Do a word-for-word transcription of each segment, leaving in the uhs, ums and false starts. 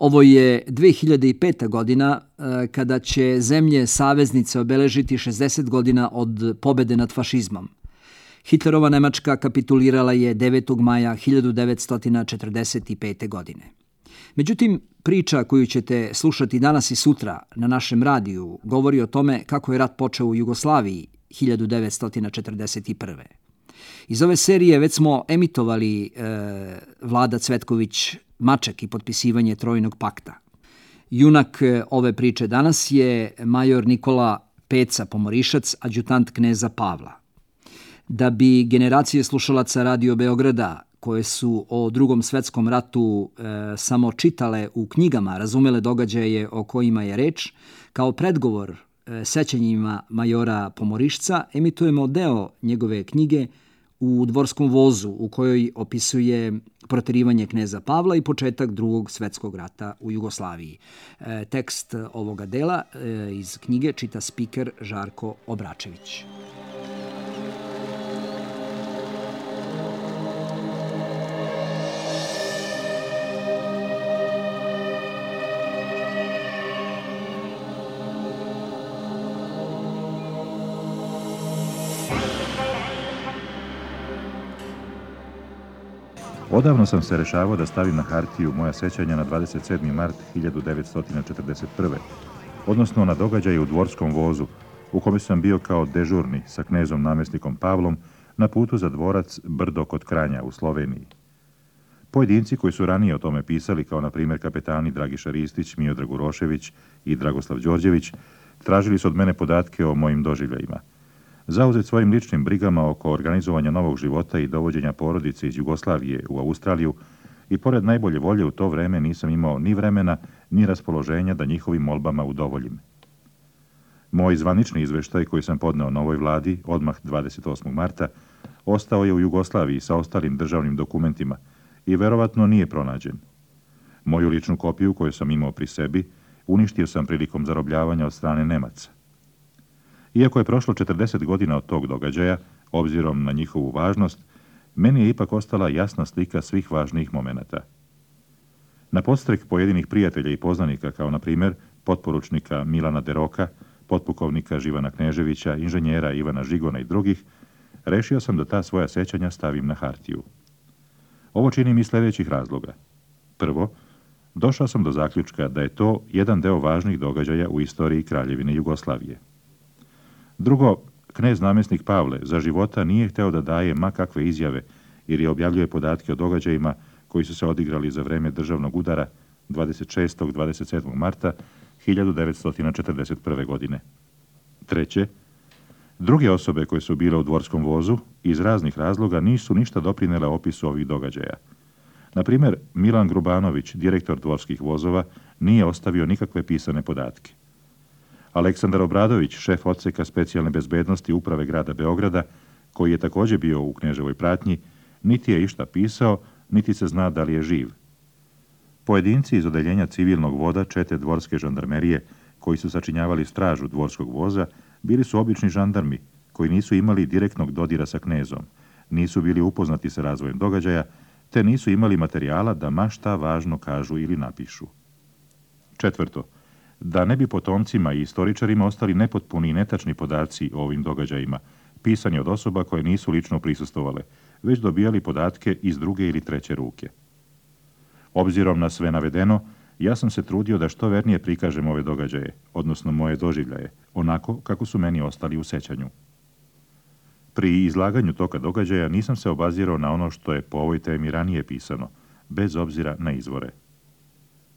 Ovo je dve hiljade peta. godina kada će zemlje saveznice obeležiti šezdeset godina od pobede nad fašizmom. Hitlerova Nemačka kapitulirala je devetog maja hiljadu devetsto četrdeset pete. godine. Međutim, priča koju ćete slušati danas i sutra na našem radiju govori o tome kako je rat počeo u Jugoslaviji hiljadu devetsto četrdeset prve. Iz ove serije već smo emitovali e, Vlada Cvetković Maček i potpisivanje Trojnog pakta. Junak ove priče danas je major Nikola Peca Pomorišac, adjutant kneza Pavla. Da bi generacije slušalaca Radio Beograda, koje su o Drugom svetskom ratu e, samo čitale u knjigama, razumele događaje o kojima je reč, kao predgovor e, sećanjima majora Pomorišca emitujemo deo njegove knjige U dvorskom vozu, u kojoj opisuje proterivanje kneza Pavla i početak Drugog svetskog rata u Jugoslaviji. E, tekst ovoga dela e, iz knjige čita spiker Žarko Obračević. Odavno sam se rešavao da stavim na hartiju moja sećanja na dvadeset sedmi mart hiljadu devetsto četrdeset prve. odnosno na događaje u dvorskom vozu, u kome sam bio kao dežurni sa knezom namjesnikom Pavlom na putu za dvorac Brdo kod Kranja u Sloveniji. Pojedinci koji su ranije o tome pisali, kao na primjer kapetani Dragiša Ristić, Miodrag Urošević i Dragoslav Đorđević, tražili su od mene podatke o mojim doživljajima. Zauzet svojim ličnim brigama oko organizovanja novog života i dovođenja porodice iz Jugoslavije u Australiju, i pored najbolje volje u to vreme nisam imao ni vremena, ni raspoloženja da njihovim molbama udovoljim. Moj zvanični izveštaj koji sam podneo novoj vladi odmah dvadeset osmog marta ostao je u Jugoslaviji sa ostalim državnim dokumentima i verovatno nije pronađen. Moju ličnu kopiju koju sam imao pri sebi uništio sam prilikom zarobljavanja od strane Nemaca. Iako je prošlo četrdeset godina od tog događaja, obzirom na njihovu važnost, meni je ipak ostala jasna slika svih važnijih momenata. Na podstrek pojedinih prijatelja i poznanika, kao na primjer potporučnika Milana Deroka, potpukovnika Živana Kneževića, inženjera Ivana Žigona i drugih, rešio sam da ta svoja sećanja stavim na hartiju. Ovo činim iz sljedećih razloga. Prvo, došao sam do zaključka da je to jedan deo važnih događaja u istoriji Kraljevine Jugoslavije. Drugo, knez namjesnik Pavle za života nije hteo da daje ma kakve izjave jer je objavljuje podatke o događajima koji su se odigrali za vreme državnog udara dvadeset šestog do dvadeset sedmog marta hiljadu devetsto četrdeset prve. godine. Treće, druge osobe koje su bile u dvorskom vozu iz raznih razloga nisu ništa doprinele opisu ovih događaja. Na primjer, Milan Grubanović, direktor dvorskih vozova, nije ostavio nikakve pisane podatke. Aleksandar Obradović, šef odseka specijalne bezbednosti uprave grada Beograda, koji je također bio u Kneževoj pratnji, niti je išta pisao, niti se zna da li je živ. Pojedinci iz odeljenja civilnog voda čete dvorske žandarmerije, koji su sačinjavali stražu dvorskog voza, bili su obični žandarmi, koji nisu imali direktnog dodira sa knezom, nisu bili upoznati sa razvojem događaja, te nisu imali materijala da ma šta važno kažu ili napišu. Četvrto, da ne bi potomcima i istoričarima ostali nepotpuni i netačni podaci o ovim događajima, pisani od osoba koje nisu lično prisustvovale, već dobijali podatke iz druge ili treće ruke. Obzirom na sve navedeno, ja sam se trudio da što vernije prikažem ove događaje, odnosno moje doživljaje, onako kako su meni ostali u sećanju. Pri izlaganju toga događaja nisam se obazirao na ono što je po ovoj temi ranije pisano, bez obzira na izvore.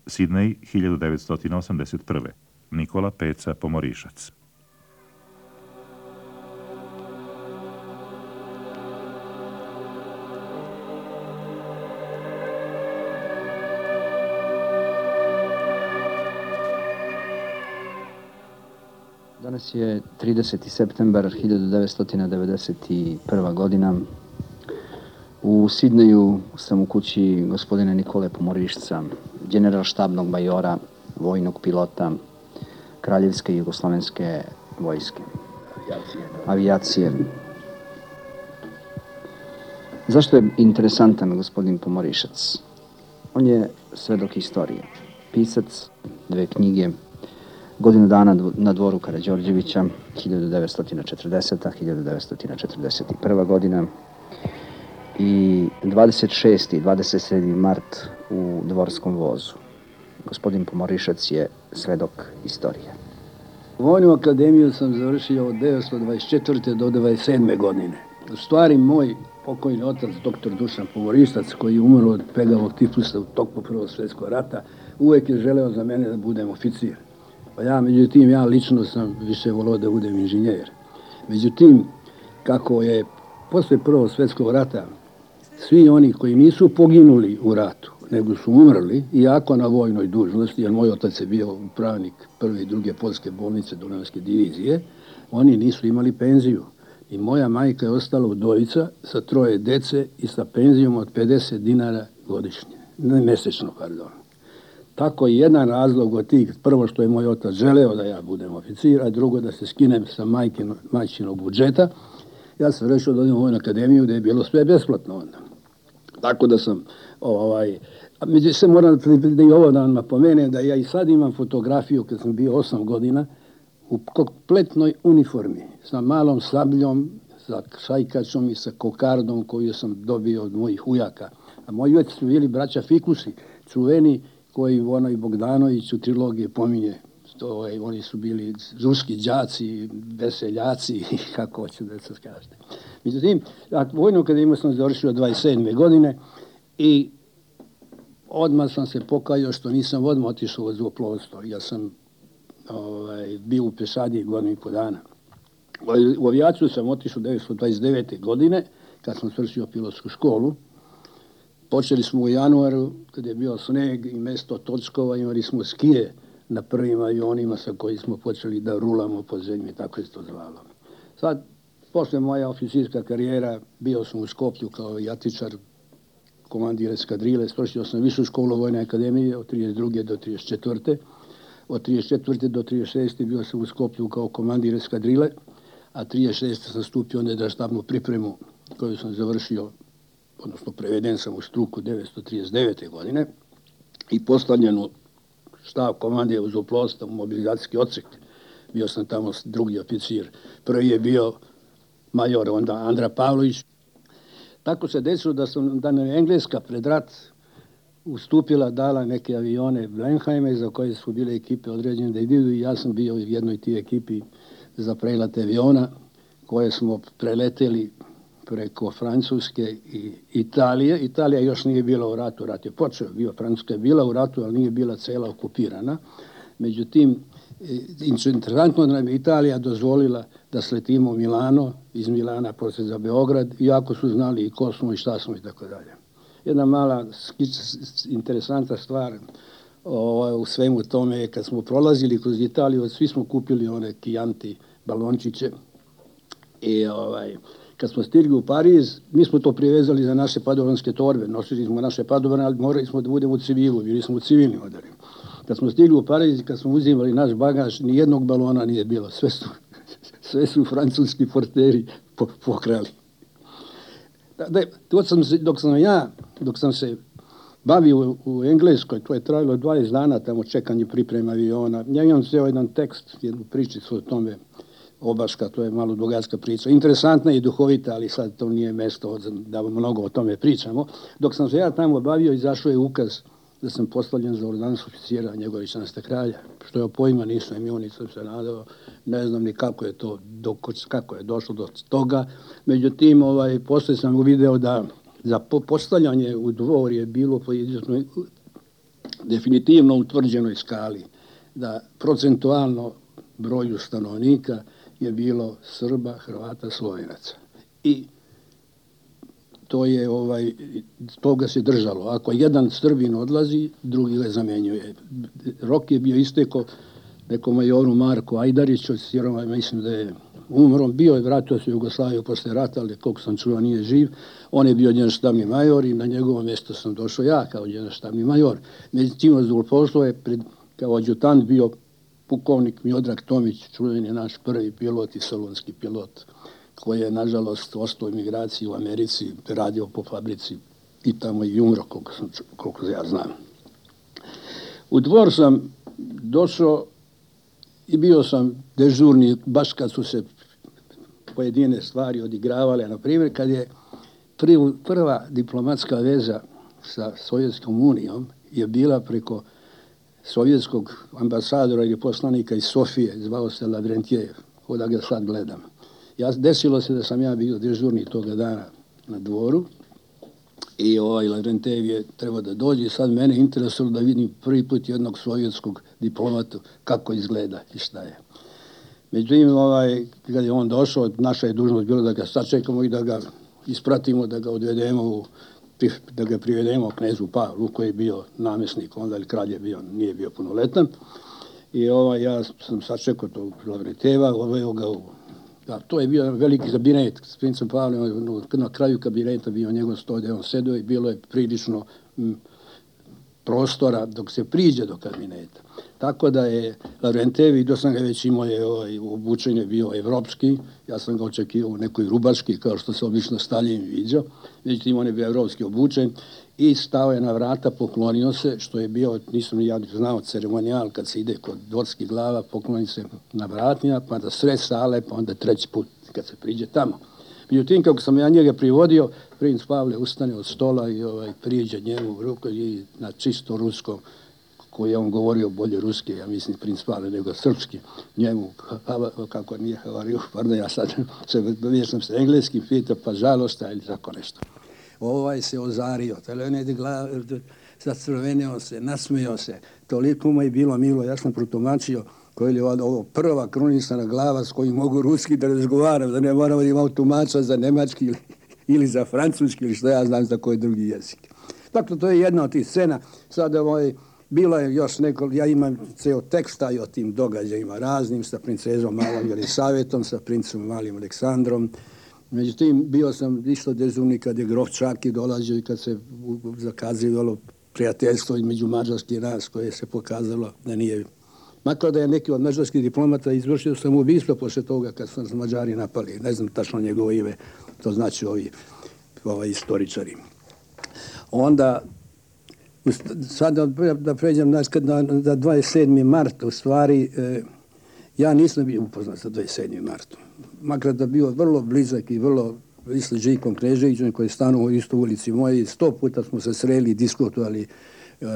Sidney, hiljadu devetsto osamdeset prve. Nikola Peca Pomorišac. Danas je trideseti septembar hiljadu devetsto devedeset prva. godina. U Sidneju sam u kući gospodina Nikole Pomorišca, generalštabnog majora, vojnog pilota Kraljevske jugoslovenske vojske. Avijacije. Zašto je interesantan gospodin Pomorišac? On je svedok istorije. pisac, dve knjige, Godinu dana na dvoru Karađorđevića, hiljadu devetsto četrdeseta do hiljadu devetsto četrdeset prva godina i dvadeset šesti i dvadeset sedmi mart u Dvorskom vozu. Gospodin Pomorišac je svedok istorije. Vojnu akademiju sam završio od devetsto dvadeset četvrte do dvadeset sedme godine. U stvari, moj pokojni otac, doktor Dušan Pomorišac, koji je umro od pegavog tifusa u toku Prvog svjetskog rata, uvek je želeo za mene da budem oficir. Pa ja, međutim, ja lično sam više volio da budem inženjer. Međutim, kako je posle Prvog svjetskog rata svi oni koji nisu poginuli u ratu, nego su umrli, iako na vojnoj dužnosti, jer moj otac je bio upravnik prve i druge poljske bolnice Dunavske divizije, oni nisu imali penziju. I moja majka je ostala udovica sa troje dece i sa penzijom od pedeset dinara godišnje, ne mesečno, pardon. Tako je jedan razlog od tih, prvo što je moj otac želeo da ja budem oficir, a drugo da se skinem sa majčinog budžeta. Ja sam rešio da odem u Vojnu akademiju gde je bilo sve besplatno onda. Tako da sam, ovaj, a među se moram da i ovo da vam napomenem, da ja i sad imam fotografiju kad sam bio osam godina u kompletnoj uniformi, sa malom sabljom, sa šajkačom i sa kokardom koju sam dobio od mojih ujaka. A moji ujaki su bili braća Fikusi, čuveni, koji ono i Bogdanović u trilogiji pominje. To, oni su bili ruski đaci, veseljaci, kako hoću da se kažete. Međutim, Vojnu akademiju sam završio dvadeset sedme godine i odmah sam se pokajao što nisam odmah otišao u zrakoplovstvo. Ja sam ovaj, bio u pešadiji godinu i po dana. U avijaciju sam otišao devetsto dvadeset devete godine, kad sam svršio pilotsku školu. Počeli smo u januaru, kad je bio sneg i mesto Tockova, imali smo skije na prvim avionima sa koji smo počeli da rulamo po zemlji, tako je to zvalo. Sad, posle moja oficirska karijera, bio sam u Skoplju kao jatičar, komandir eskadrile, svršio sam višu školu Vojne akademije od trideset druge do trideset četvrte Od trideset četvrte do trideset šeste bio sam u Skoplju kao komandir eskadrile, a trideset šeste sam stupio na štabnu pripremu koju sam završio, odnosno preveden sam u struku devetsto trideset devete godine i postavljen u štab komandije uz zrakoplovstva u mobilizacijski odsek. Bio sam tamo drugi oficir. Prvi je bio major onda Andra Pavlović. Tako se desilo da sam da nam Engleska pred rat ustupila, dala neke avione Blenheime za koje su bile ekipe određene da idu i ja sam bio u jednoj tih ekipi za prelate aviona koje smo preleteli preko Francuske i Italije. Italija još nije bila u ratu, rat je počeo, bio, Francuska je bila u ratu, ali nije bila cela okupirana. Međutim, interesantno nam je Italija dozvolila da sletimo u Milano, iz Milana posle za Beograd, iako su znali i ko smo i šta smo i tako dalje. Jedna mala, interesantna stvar o, u svemu tome je kad smo prolazili kroz Italiju, svi smo kupili one Chianti balončiće i ovaj, kad smo stigli u Pariz, mi smo to privezali za naše padovanske torbe, nosili smo naše padovane, ali morali smo da budemo u civilu, bili smo u civilni odori. Kad smo stigli u Pariz i kad smo uzimali naš bagaž, ni jednog balona nije bilo, sve su, sve su francuski porteri po, pokrali. Da, to sam se, dok sam ja, dok sam se bavio u, u Engleskoj, to je trajalo dvadeset dana tamo čekanje priprema aviona, ja imam ceo jedan tekst, jednu pričicu o tome, Obaška, to je malo dugačka priča. Interesantna i duhovita, ali sad to nije mesto da mnogo o tome pričamo. Dok sam se ja tamo bavio, izašao je ukaz da sam postavljen za ordonansu oficira Njegovićanstva kralja. Što je pojma nisam imao, nisam se nadao, ne znam ni kako je to, do, kako je došlo do toga. Međutim, ovaj, posle sam uvideo da za postavljanje u dvor je bilo po jednoj definitivno utvrđenoj skali, da procentualno broju stanovnika je bilo Srba, Hrvata, Slovenaca. I to je, ovaj, toga se držalo. Ako jedan Srbin odlazi, drugi ga zamenjuje. Rok je bio isteko nekom majoru Marku Ajdariću, od Siroma, mislim da je umro. Bio je, vratio se u Jugoslaviju posle rata, ali koliko sam čuo nije živ. On je bio generalštabni major i na njegovo mjesto sam došao ja kao generalštabni major. Međutim, zrakoplovstvo je pred, kao adjutant bio pukovnik Miodrag Tomić, čuveni naš prvi pilot i solunski pilot, koji je, nažalost, ostao u emigraciji u Americi, radio po fabrici i tamo i umro, koliko, sam, koliko ja znam. U Dvor sam došao i bio sam dežurni baš kad su se pojedine stvari odigravale. Na primjer, kad je prva diplomatska veza sa Sovjetskom unijom je bila preko sovjetskog ambasadora ili poslanika iz Sofije, zvao se Lavrentijev, da ga sad gledam. Ja, desilo se da sam ja bio dežurni toga dana na Dvoru i ovaj Lavrentijev je trebao da dođe i sad mene interesovalo da vidim prvi put jednog sovjetskog diplomata kako izgleda i šta je. Međutim, ovaj, kad je on došao, naša je dužnost bila da ga sačekamo i da ga ispratimo, da ga odvedemo, u, da ga privedemo knezu Pavlu, koji je bio namjesnik onda, ili kralj je bio, nije bio punoletan. I ovaj, ja sam sačekao tog Lavrentieva, oveo ga u... Da, to je bio veliki kabinet s princem Pavlom, na kraju kabineta bio njegov sto gdje on sedio i bilo je prilično m, prostora dok se priđe do kabineta. Tako da je Lavrentijev, vidio sam ga već imao je ovaj, obučen je bio evropski, ja sam ga očekivao u nekoj rubaški, kao što se obično Staljin viđao, međutim on je bio evropski obučen i stao je na vrata, poklonio se, što je bio, nisam ni ja znao, ceremonijal kad se ide kod dvorskih glava, pokloni se na vratima, pa da sred sale, pa onda treći put kad se priđe tamo. Međutim, kako sam ja njega privodio, princ Pavle ustane od stola i ovaj, priđe njemu u ruku i na čisto ruskom, koji je on govorio bolje ruski, ja mislim princ Pavle, nego srpski, njemu, kako nije havariju, pardon, ja sad se vješam se engleski, pita, pa žalosta ili tako nešto. Ovaj se ozario, zacrvenio se, nasmijao se, toliko mu je bilo milo, ja sam protumačio koji je ovo prva krunisana glava s kojim mogu ruski da razgovaram, da ne moramo da imam tumača za nemački ili, ili za francuski ili što ja znam za koji drugi jezik. Dakle, to je jedna od tih scena. Sada ovaj, bilo je još neko, ja imam ceo teksta i o tim događajima raznim sa princezom Malom Jelisavetom, sa princom Malim Aleksandrom. Međutim, bio sam isto dežurni kad je grof Čaki dolazio i kad se zakazivalo prijateljstvo između mađarskih nas koje se pokazalo da nije. Makar da je neki od mađarskih diplomata izvršio samoubistvo posle toga kad su nas Mađari napali. Ne znam tačno njegovo ime, to znači ovi, ovi istoričari. Onda, sad da, da pređem na, na dvadeset sedmi mart, u stvari, eh, ja nisam bio upoznat sa dvadeset sedmim martom. Makar da bio vrlo blizak i vrlo isto Željkom Kneževićem koji je stanuo u istoj ulici moji, sto puta smo se sreli i diskutovali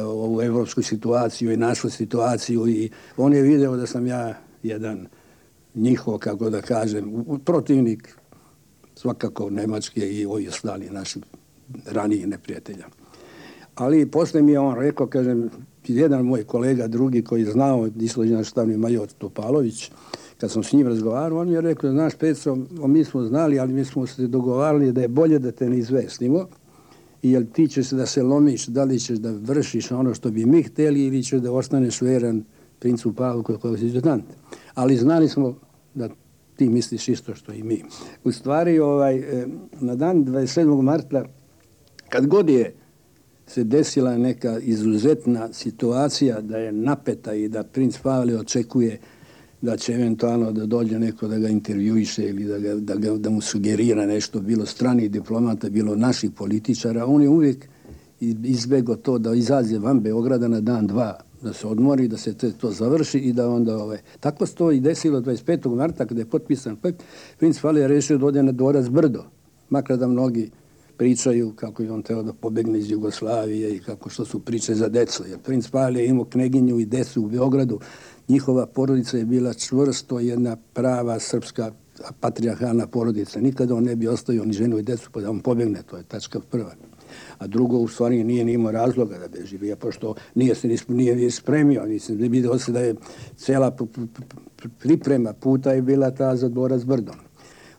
ovu evropsku situaciju i našu situaciju i on je video da sam ja jedan njihov, kako da kažem, protivnik svakako Nemačke i ovi ostali naši ranijih neprijatelja. Ali posle mi je on rekao, kažem, jedan moj kolega drugi koji je znao, islođen štabni major Topalović, kad sam s njim razgovarao, on mi je rekao, znaš Petro, mi smo znali, ali mi smo se dogovarali da je bolje da te ne izvestimo, jer ti ćeš da se lomiš, da li ćeš da vršiš ono što bi mi hteli ili ćeš da ostaneš veran princu Pavlu koji je adjutant. Ali znali smo da ti misliš isto što i mi. U stvari, ovaj, na dan dvadeset sedmog marta, kad god je se desila neka izuzetna situacija da je napeta i da princ Pavle očekuje da će eventualno da dođe neko da ga intervjuiše ili da, ga, da, ga, da mu sugerira nešto, bilo stranih diplomata, bilo naših političara, on je uvijek izbegao to da izađe van Beograda na dan dva, da se odmori, da se te, to završi i da onda... Ove. Tako se to i desilo dvadeset petog marta kada je potpisan pakt, princ Pavle je rešio da ode na dvorac Brdo, makar da mnogi pričaju kako je on teo da pobegne iz Jugoslavije i kako što su priče za decu. Jer princ Pavle je imao kneginju i decu u Beogradu. Njihova porodica je bila čvrsto jedna prava srpska patrijarhalna porodica. Nikada on ne bi ostavio ni ženu i decu pa da on pobegne. To je tačka prva. A drugo, u stvari, nije ni imao razloga da beži. Ja, pošto nije se nije spremio. Nisam vidio se da je cela priprema puta je bila ta za dvorac Brdo.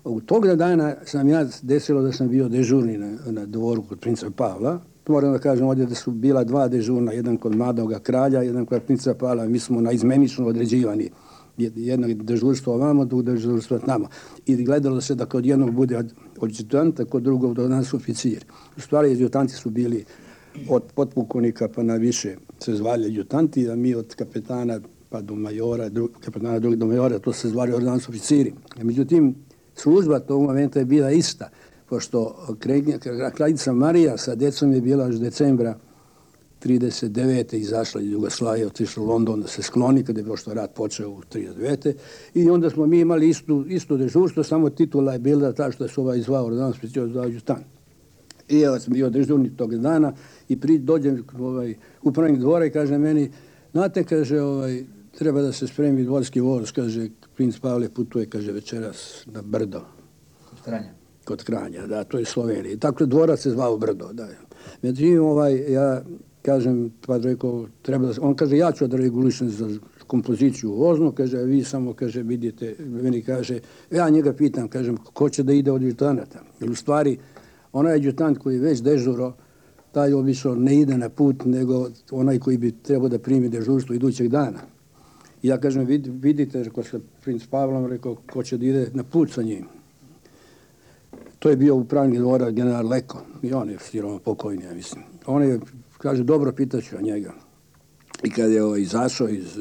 U tog dana sam ja desilo da sam bio dežurni na, na dvoru kod princa Pavla. Moram da kažem ovdje da su bila dva dežurna, jedan kod mladoga kralja, jedan kod princa Pavla. Mi smo na izmenično određivani. Jedno dežurstvo ovamo, drugo dežurstvo tamo. I gledalo se da kod jednog bude adjutanta, kod drugog do nas oficir. U stvari, adjutanti su bili od potpukovnika pa na više se zvali adjutanti, a mi od kapetana pa do majora, dru, kapetana drugog do majora, to se zvali ordonanci oficiri. Međutim, služba tog momenta je bila ista, pošto kraljica Marija sa decom je bila još decembra trideset devete izašla iz Jugoslavije, otišla u London da se skloni kada je pošto rat počeo u trideset devete I onda smo mi imali istu, isto dežurstvo, samo titula je bila ta što se ovaj zvao ordinar specijalni za adjutant. I ja sam bio dežurni tog dana i pri, dođem ovaj, upravnik dvora i kaže meni, znate, kaže, ovaj, treba da se spremi dvorski voz, kaže, princ Pavle putuje, kaže, večeras na Brdo. Kod Kranja. Kod Kranja, da, to je Slovenija. Tako dvorac se zvao Brdo, da. Međutim, ovaj, ja kažem, pa rekao, treba da, on kaže, ja ću da regulišem za kompoziciju voznu, kaže, a vi samo, kaže, vidite, meni kaže, ja njega pitam, kažem, ko će da ide od adjutanata? Jer u stvari, onaj adjutant koji je već dežuro, taj obično ne ide na put, nego onaj koji bi trebao da primi dežurstvo idućeg dana. I ja kažem, vid, vidite, rekao se princ Pavlom, rekao, ko će da ide na put sa njim. To je bio upravnik dvora general Leko, i on je sirovo pokojni, ja mislim. On je, kaže, dobro, pitaću o njega. I kad je ovaj, izašao iz,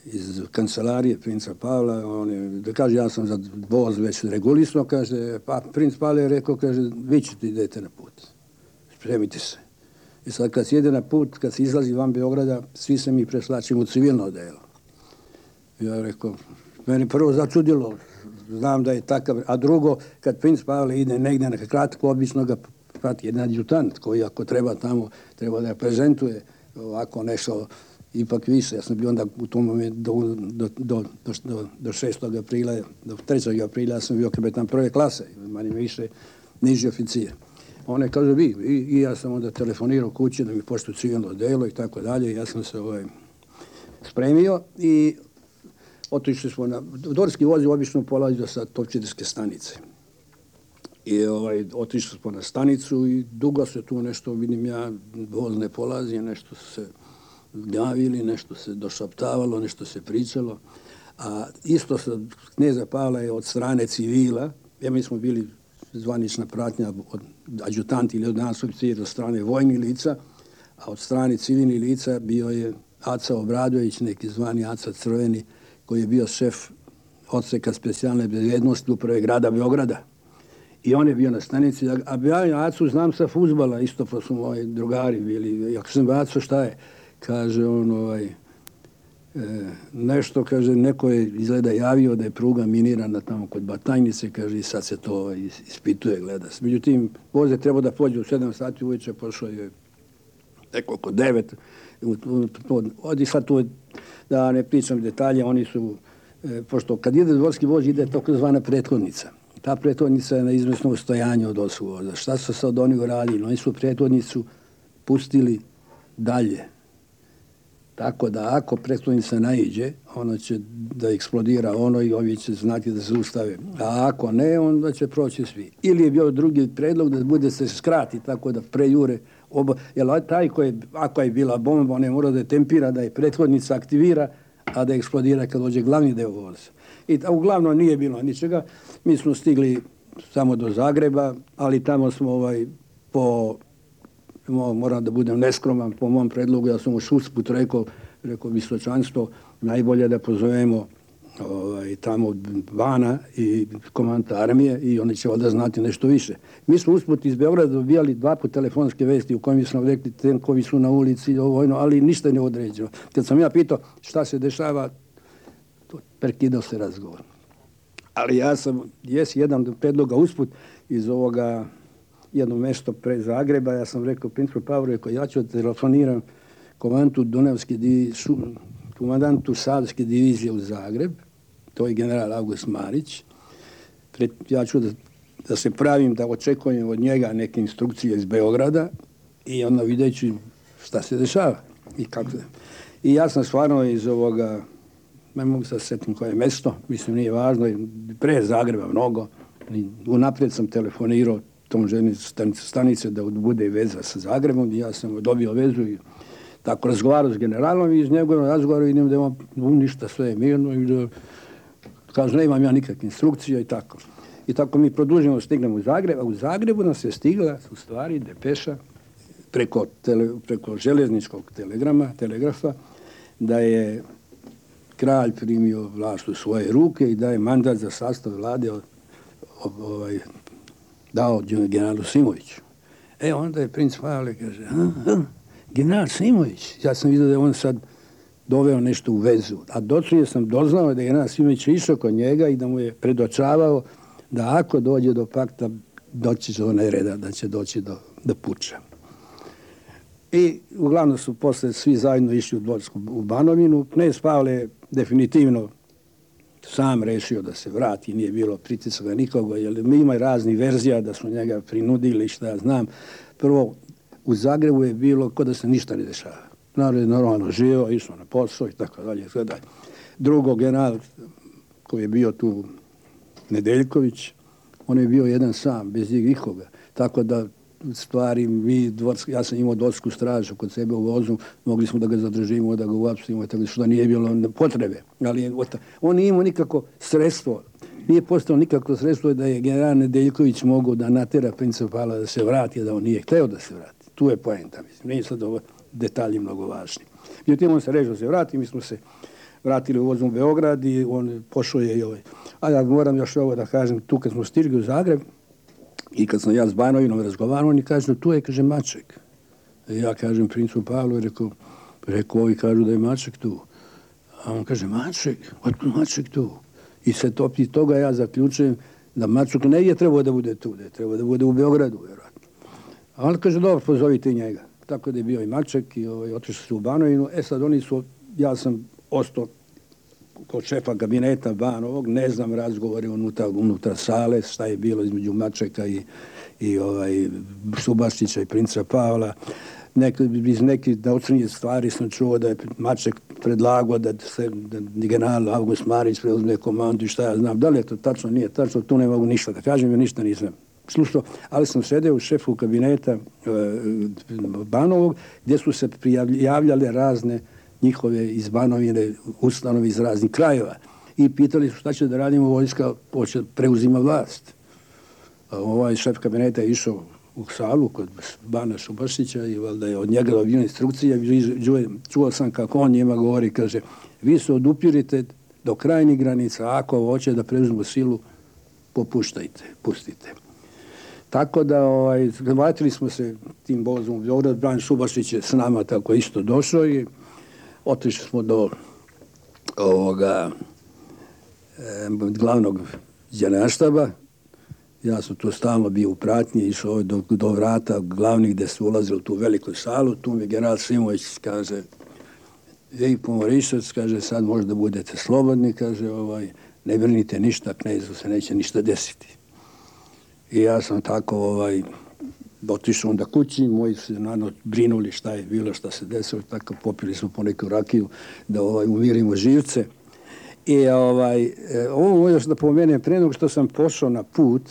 iz kancelarije princa Pavla, on je, da kaže, ja sam za voz već regulisno, kaže, pa princ Pavle je rekao, kaže, vi ćete idete na put. Spremite se. I sad kad se ide na put, kad se izlazi van Beograda, svi se mi preslačimo u civilno odelo. Ja rekao, meni prvo začudilo, znam da je takav, a drugo, kad princ Pavle ide negdje na kratko, obično ga prati jedan adjutant koji ako treba tamo, treba da prezentuje ovako nešto ipak više. Ja sam bio onda u tom momentu do, do, do, do, do šestog aprila, do trećeg aprila sam bio kapetan prve klase, manje više niži oficir. One kaže vi, I, i ja sam onda telefonirao kući da mi poštu civilno delo i tako dalje. Ja sam se ovaj, spremio i otišli smo na... Dvorski voz je obično polazio sa Topčiderske stanice. I ovaj, otišli smo na stanicu i dugo se tu nešto, vidim ja, voz ne polazi, nešto se gnjavili, nešto se došaptavalo, nešto se pričalo. A isto sa kneza Pavla je od strane civila, ja mi smo bili zvanična pratnja od adjutanti ili od nas oficira od strane vojnih lica, a od strane civilnih lica bio je Aca Obradović, neki zvani Aca Crveni, koji je bio šef odseka specijalne bezbednosti uprave grada Beograda. I on je bio na stanici, a ja Acu znam sa fudbala, isto pa su moji drugari bili. Ako sam Aco, šta je? Kaže on, ovaj, e, nešto, kaže, neko je izgleda javio da je pruga minirana tamo kod Batajnice, kaže, i sad se to ovaj, ispituje, gleda se. Međutim, voz je trebao da pođe u sedam sati uveče, pošao je neko oko devet. Odi sad tu, da ne pričam detalje, oni su, e, pošto kad ide dvorski voz, ide tako zvana prethodnica. Ta prethodnica je na izvesnom stojanju od osvog voza. Šta su sad oni uradili? Oni su prethodnicu pustili dalje. Tako da ako prethodnica naiđe, ona će da eksplodira ono i ovi će znati da se ustave. A ako ne, onda će proći svi. Ili je bio drugi predlog da bude se skrati tako da prejure oba. Jer taj koji, ako je bila bomba, on je mora da je tempira, da je prethodnica aktivira, a da eksplodira kad dođe glavni deo voza. I uglavnom nije bilo ničega. Mi smo stigli samo do Zagreba, ali tamo smo ovaj, po... moram da budem neskroman po mom predlogu, ja sam u usput rekao, rekao visočanstvo, najbolje da pozovemo ovaj, tamo Vana i komandanta armije i oni će ovdje znati nešto više. Mi smo usput iz Beograda dobijali dva put telefonske vesti u kojim smo rekli tenkovi su na ulici, ovojno, ali ništa ne određeno. Kad sam ja pitao šta se dešava, prekidao se razgovor. Ali ja sam, jes jedan od predloga usput iz ovoga jedno mesto pre Zagreba, ja sam rekao princu Pavlu, rekao, ja ću telefoniram komandantu Dunavske divizije, komandantu Savske divizije u Zagreb, to je general August Marić, Pre, ja ću da, da se pravim, da očekujem od njega neke instrukcije iz Beograda i onda videći šta se dešava i kako se. I ja sam stvarno iz ovoga, ne mogu se setim koje mesto, mislim nije važno, pre Zagreba mnogo, unaprijed sam telefonirao tom železničke stanice da bude veza sa Zagrebom i ja sam dobio vezu i tako razgovarao s generalom i iz njegovog razgovora vidim da imam ništa, sve je mirno i da kažu ne imam ja nikakve instrukcije i tako. I tako mi produžimo, stignemo u Zagreb, a u Zagrebu nas je stigla u stvari depeša preko, tele, preko železničkog telegrama, telegrafa da je kralj primio vlast u svoje ruke i da je mandat za sastav vlade od, ovaj, dao generalu Simoviću. E, onda je princ Pavle, kaže, a, a, general Simović. Ja sam vidio da je on sad doveo nešto u vezu. A dočuje sam doznao da je general Simović išao kod njega i da mu je predočavao da ako dođe do pakta, doći će do nereda, da će doći do, do puča. I uglavnom su posle svi zajedno išli u Dvorsku u Banovinu. Knez Pavle je definitivno sam rešio da se vrati, nije bilo pritisaka nikoga, jer ima raznih verzija da su njega prinudili, šta ja znam. Prvo, u Zagrebu je bilo kao da se ništa ne dešava. Narod je normalno živio, išao na posao i tako dalje. Drugo, general koji je bio tu, Nedeljković, on je bio jedan sam, bez nikoga. Tako da, stvari, mi, dvorsk, ja sam imao dvorsku stražu kod sebe u vozu, mogli smo da ga zadržimo, da ga uapsimo, tako što nije bilo potrebe. Ali on nije imao nikako sredstvo, nije postao nikako sredstvo da je general Nedeljković mogao da natera princa Pavla da se vrati, da on nije hteo da se vrati. Tu je poenta, mislim. Nije sad ovo detalji mnogo važni. Međutim, on se režio da se vrati, mi smo se vratili u vozom u Beograd i on pošao je i ovaj. A ja moram još ovo da kažem, tu kad smo stigli u Zagreb i kad sam ja s Banovinom razgovarao, oni kažu, tu je, kaže, Maček. I ja kažem princu Pavlu, rekao, rekao, ovi kažu da je Maček tu. A on kaže, Maček? Otkud Maček tu? I se topi toga ja zaključujem da Maček ne je trebao da bude tu, da je trebao da bude u Beogradu, vjerojatno. A on kaže, dobro, pozovite njega. Tako da je bio i Maček i ovaj, otišli su u Banovinu. E sad oni su, ja sam ostao kod šefa kabineta Banovog, ne znam razgovore unutar, unutar sale, šta je bilo između Mačeka i, i ovaj, Subaštića i princa Pavla. Nek, iz nekih naučnije stvari sam čuo da je Maček predlagao da se da general August Marić preuzme komandu i šta ja znam. Da li je to tačno, nije tačno, tu ne mogu ništa da kažem, jer ništa nisam slušao, ali sam sedeo u šefu kabineta e, Banovog, gdje su se prijavljale razne njihove iz Banovine ustanove iz raznih krajeva i pitali su šta će da radimo, vojska hoće preuzima vlast. A ovaj šef kabineta je išao u salu kod Bana Šubašića i valjda je od njega dobio instrukcija. Čuo sam kako on njima govori, kaže, vi se odupirite do krajnjih granica, ako hoće da preuzmu silu, popuštajte, pustite. Tako da, ovaj, vratili smo se tim vozom u Beograd, Bran Šubašić je s nama tako isto došao i otišli smo do ovoga e, glavnog generalštaba. Ja sam tu stalno bio u pratnji, išao do, do vrata glavnih gde su ulazili u tu veliku salu. Tu mi general Simović kaže, ej, Pomorišac, kaže, sad možda budete slobodni, kaže, ovaj, ne brinite ništa, knezu se neće ništa desiti. I ja sam tako ovaj, otišao onda kući, moji su naravno brinuli šta je bilo, šta se desilo, tako popili smo po neku rakiju da ovaj, umirimo živce. I ovaj, ovo još da pomenem, pre nego što sam pošao na put,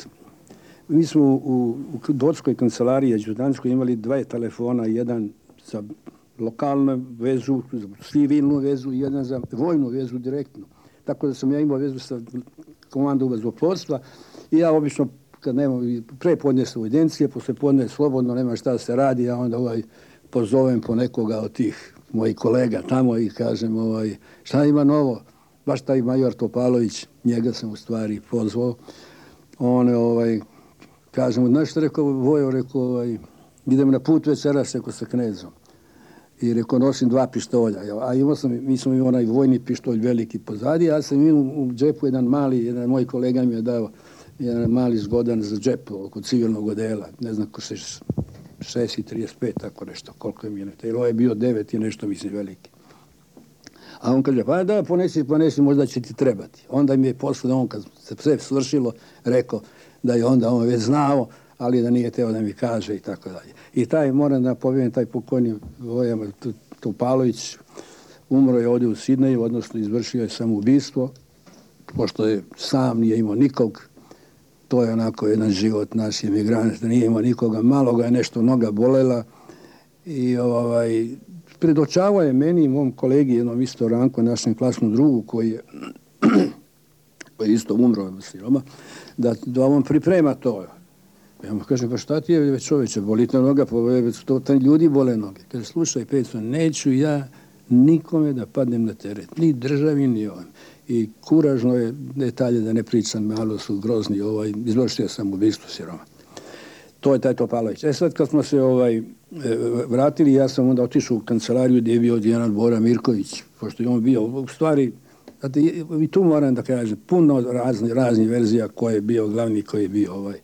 mi smo u, u Dvorskoj kancelariji adjutanskoj imali dva telefona, jedan za lokalnu vezu, za civilnu vezu i jedan za vojnu vezu direktno. Tako da sam ja imao vezu sa komandom vazduhoplovstva i ja obično kad nema, pre podnesu u evidencije, posle podne slobodno, nema šta se radi, ja onda ovaj, pozovem po nekoga od tih mojih kolega tamo i kažem ovaj, šta ima novo? Baš taj major Topalović, njega sam u stvari pozvao. On je, ovaj, kažem, znaš što rekao Vojo, rekao, ovaj, idem na put večeras, rekao, sa knezom. I rekao, nosim dva pištolja. A imao sam, mi smo imali onaj vojni pištolj veliki pozadi, ja sam imao u džepu jedan mali, jedan moj kolega mi je dao jedan mali zgodan za džep oko civilnog odela, ne znam ko se šest i trideset pet, tako nešto, koliko je mi je. Ovo je bio devet i nešto, mislim, veliki. A on kaže, pa da, ponesi, ponesi, možda će ti trebati. Onda mi je posle, on kad se sve svršilo, rekao da je onda on već znao, ali da nije teo da mi kaže i tako dalje. I taj, moram da povijem, taj pokojni Vojan Topalović umro je ovdje u Sidneju, odnosno izvršio je samoubistvo, pošto je sam, nije imao nikog. To je onako jedan život naš emigranta, nije imao nikoga, malo ga je nešto noga bolela i ovaj, predočavao je meni i mom kolegi, jednom isto Ranko, našem klasnom drugu, koji je, koji je isto umro od siroma, da, da on priprema to. Ja mu kažem, pa šta ti je već čoveče, boli te noga, pa to, to ljudi bole noge. Kaže, slušaj, Peco, neću ja nikome da padnem na teret, ni državi, ni ovim. I kuražno je detalje da ne pričam, malo su grozni, ovaj, izvršio sam ubistvo siroma. To je taj Topalović. E sad kad smo se ovaj, vratili, ja sam onda otišao u kancelariju gdje je bio general Bora Mirković, pošto je on bio u stvari, znate, i tu moram da kažem, puno razni, raznih verzija ko je bio glavni, ko je bio ovaj.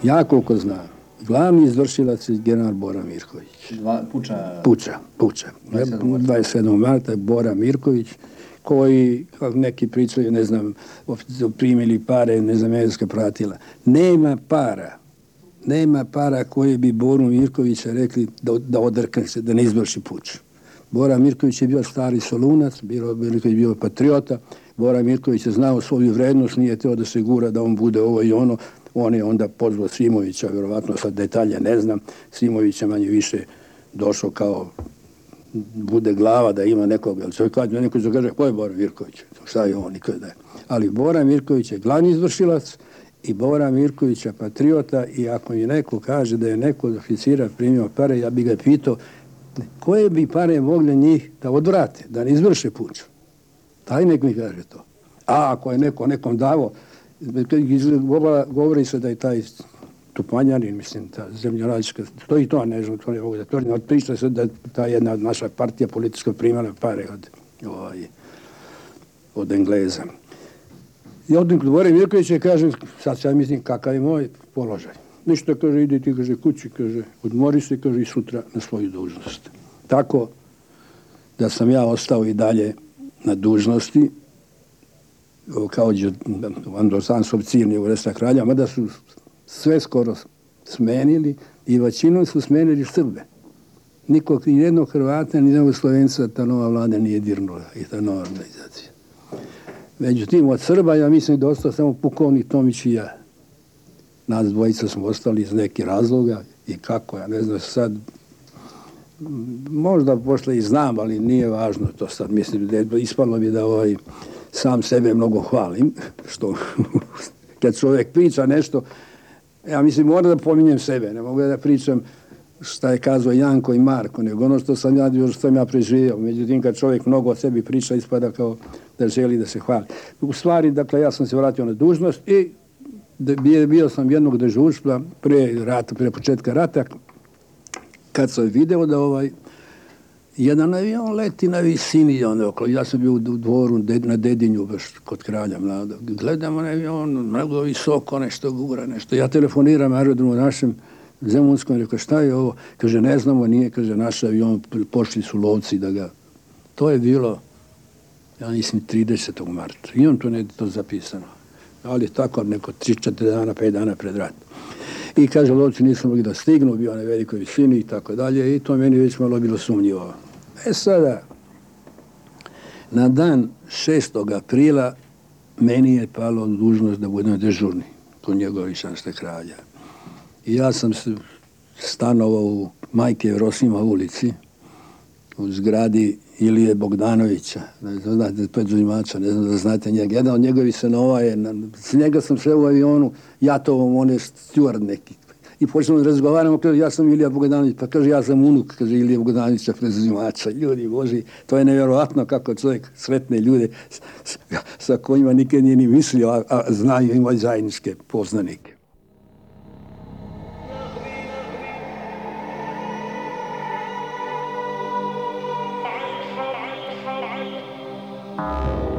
Ja koliko znam, glavni izvršilac je general Bora Mirković. Dva, puča... Puča, Puča. dvadeset sedmog marta Bora Mirković, koji, kako neki pričaju, ne znam, primili pare, ne znam, medijska pratila. Nema para, nema para koje bi Boru Mirkovića rekli da, da odrkne se, da ne izvrši puč. Bora Mirković je bio stari Solunac, Bora Mirković je bio patriota, Bora Mirković je znao svoju vrednost, nije teo da se gura da on bude ovo i ono. On je onda pozvao Simovića, vjerovatno sad detalje ne znam, Simović je manje više došao kao bude glava da ima nekog, ali čovjek kad neko će kaže, ko je Bora Mirković? Šta je on? Nikad ne. Ali Bora Mirković je glavni izvršilac i Bora Mirković je patriota i ako mi neko kaže da je neko od oficira primio pare, ja bi ga pitao koje bi pare mogli njih da odvrate, da ne izvrše puč. Taj nek mi kaže to. A ako je neko nekom davo, govori se da je taj Tupanjanin, mislim, ta zemljoradnička, to i to ne znam, to ne mogu da tvrdim, ali priča se da je ta jedna naša partija politička primala pare od, ovaj, od Engleza. I od Bore Mirkovića kaže, sad ja mislim kakav je moj položaj. Ništa, kaže, ide ti, kaže, kući, kaže, odmori se, kaže, i sutra na svoju dužnost. Tako da sam ja ostao i dalje na dužnosti, kao Androsansov cilni u Resta kralja, mada su sve skoro smenili i većinom su smenili Srbe. Nikog, ni jednog Hrvata, ni jednog Slovenca ta nova vlada nije dirnula i ta nova organizacija. Međutim, od Srba, ja mislim da ostao samo pukovnik Tomić i ja. Nas dvojica smo ostali iz nekih razloga i kako, ja ne znam sad, možda posle i znam, ali nije važno to sad. Mislim da je ispalo bi da ovaj sam sebe mnogo hvalim, što kad čovjek priča nešto, ja mislim moram da pominjem sebe, ne mogu da pričam šta je kazao Janko i Marko, nego ono što sam ja, što sam ja preživio. Međutim, kad čovjek mnogo o sebi priča, ispada kao da želi da se hvali. U stvari, dakle, ja sam se vratio na dužnost i bio, bio sam jednog dežurstva pre rata, pre početka rata, kad sam video da ovaj jedan avion leti na visini, ono, okolo. Ja sam bio u dvoru na Dedinju, baš kod kralja mladog. Gledamo na avion, mnogo visoko, nešto gura, nešto. Ja telefoniram aerodromu našem Zemunskom, rekao, šta je ovo? Kaže, ne znamo, nije, kaže, naš avion, pošli su lovci da ga... To je bilo, ja mislim, tridesetog marta. I on to ne je to zapisano. Ali tako, neko tri četiri dana, pet dana pred rat. I kaže, lovci nisu mogli da stignu, bio na velikoj visini i tako dalje. I to meni već malo bilo sumnjivo. E sada, na dan šestog aprila meni je palo dužnost da budem dežurni kod njegovi šanste kralja. I ja sam stanovao u Majke Jevrosima ulici, u zgradi Ilije Bogdanovića, ne znate, Peđulimača, ne znam da znate njega. Jedan od njegovi senova je, s njega sam šao u avionu, jatovom, on je stjuard neki. I počnemo da razgovaramo, kaže, ja sam Ilija Bogdanović, pa kaže, ja sam unuk, kaže, Ilije Bogdanovića, Peđulimača. Ljudi Boži, to je nevjerovatno kako čovjek sretne ljude s, sa kojima nikad nije ni mislio, a, a znaju, imaju zajedničke poznanike. Thank you.